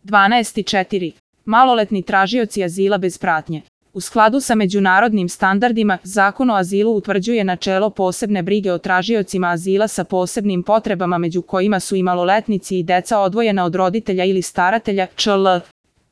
12.4. Maloletni tražioci azila bez pratnje. U skladu sa međunarodnim standardima, Zakon o azilu utvrđuje načelo posebne brige o tražiocima azila sa posebnim potrebama, među kojima su i maloletnici i deca odvojena od roditelja ili staratelja, čl.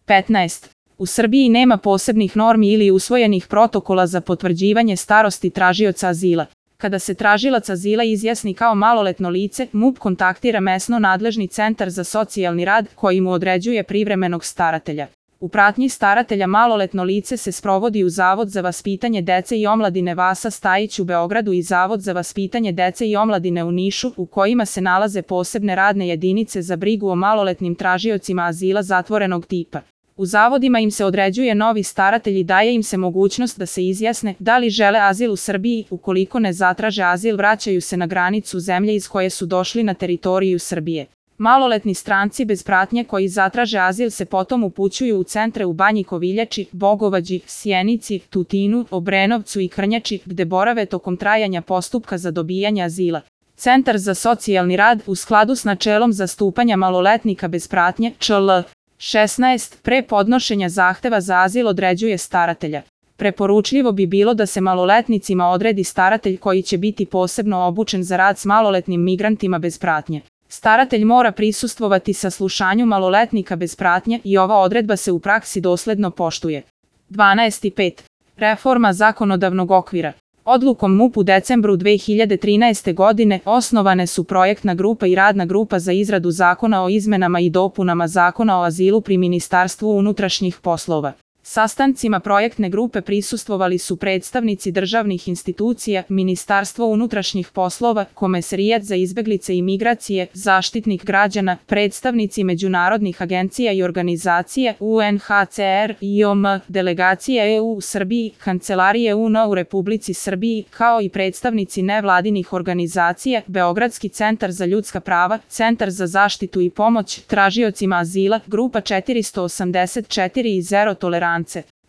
15. U Srbiji nema posebnih normi ili usvojenih protokola za potvrđivanje starosti tražioca azila. Kada se tražilac azila izjasni kao maloletno lice, MUP kontaktira mesno nadležni centar za socijalni rad koji mu određuje privremenog staratelja. U pratnji staratelja maloletno lice se sprovodi u Zavod za vaspitanje dece i omladine Vasa Stajić u Beogradu i Zavod za vaspitanje dece i omladine u Nišu, u kojima se nalaze posebne radne jedinice za brigu o maloletnim tražiocima azila zatvorenog tipa. U zavodima im se određuje novi staratelj i daje im se mogućnost da se izjasne da li žele azil u Srbiji. Ukoliko ne zatraže azil, vraćaju se na granicu zemlje iz koje su došli na teritoriju Srbije. Maloletni stranci bez pratnje koji zatraže azil se potom upućuju u centre u Banji Koviljači, Bogovađi, Sjenici, Tutinu, Obrenovcu i Krnjači, gde borave tokom trajanja postupka za dobijanje azila. Centar za socijalni rad, u skladu s načelom zastupanja maloletnika bez pratnje, čl. 16. pre podnošenja zahteva za azil određuje staratelja. Preporučljivo bi bilo da se maloletnicima odredi staratelj koji će biti posebno obučen za rad s maloletnim migrantima bez pratnje. Staratelj mora prisustvovati saslušanju maloletnika bez pratnje i ova odredba se u praksi dosledno poštuje. 12.5. Reforma zakonodavnog okvira. Odlukom MUP u decembru 2013. godine osnovane su projektna grupa i radna grupa za izradu zakona o izmenama i dopunama Zakona o azilu pri Ministarstvu unutrašnjih poslova. Sastancima projektne grupe prisustvovali su predstavnici državnih institucija, Ministarstvo unutrašnjih poslova, Komesarijat za izbeglice i migracije, Zaštitnik građana, predstavnici međunarodnih agencija i organizacija, UNHCR, IOM, delegacije EU u Srbiji, Kancelarije UN u Republici Srbiji, kao i predstavnici nevladinih organizacija, Beogradski centar za ljudska prava, Centar za zaštitu i pomoć tražiocima azila, Grupa 484 i Zero tolerance.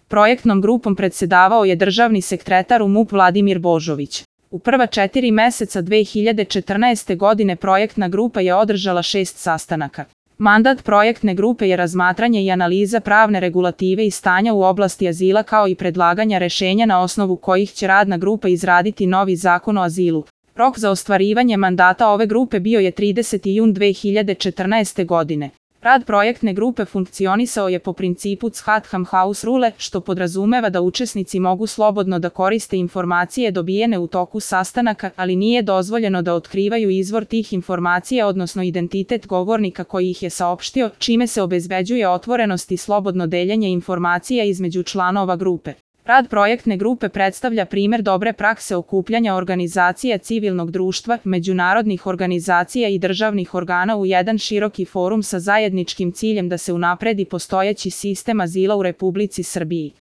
Projektnom grupom predsedavao je državni sekretar u MUP Vladimir Božović. U prva 4 meseca 2014. godine projektna grupa je održala 6 sastanaka. Mandat projektne grupe je razmatranje i analiza pravne regulative i stanja u oblasti azila kao i predlaganja rešenja na osnovu kojih će radna grupa izraditi novi zakon o azilu. Rok za ostvarivanje mandata ove grupe bio je 30. jun 2014. godine. Rad projektne grupe funkcionisao je po principu Chatham House Rule, što podrazumeva da učesnici mogu slobodno da koriste informacije dobijene u toku sastanaka, ali nije dozvoljeno da otkrivaju izvor tih informacija, odnosno identitet govornika koji ih je saopštio, čime se obezbeđuje otvorenost i slobodno deljenje informacija između članova grupe. Rad projektne grupe predstavlja primer dobre prakse okupljanja organizacija civilnog društva, međunarodnih organizacija i državnih organa u jedan široki forum sa zajedničkim ciljem da se unapredi postojeći sistem azila u Republici Srbiji.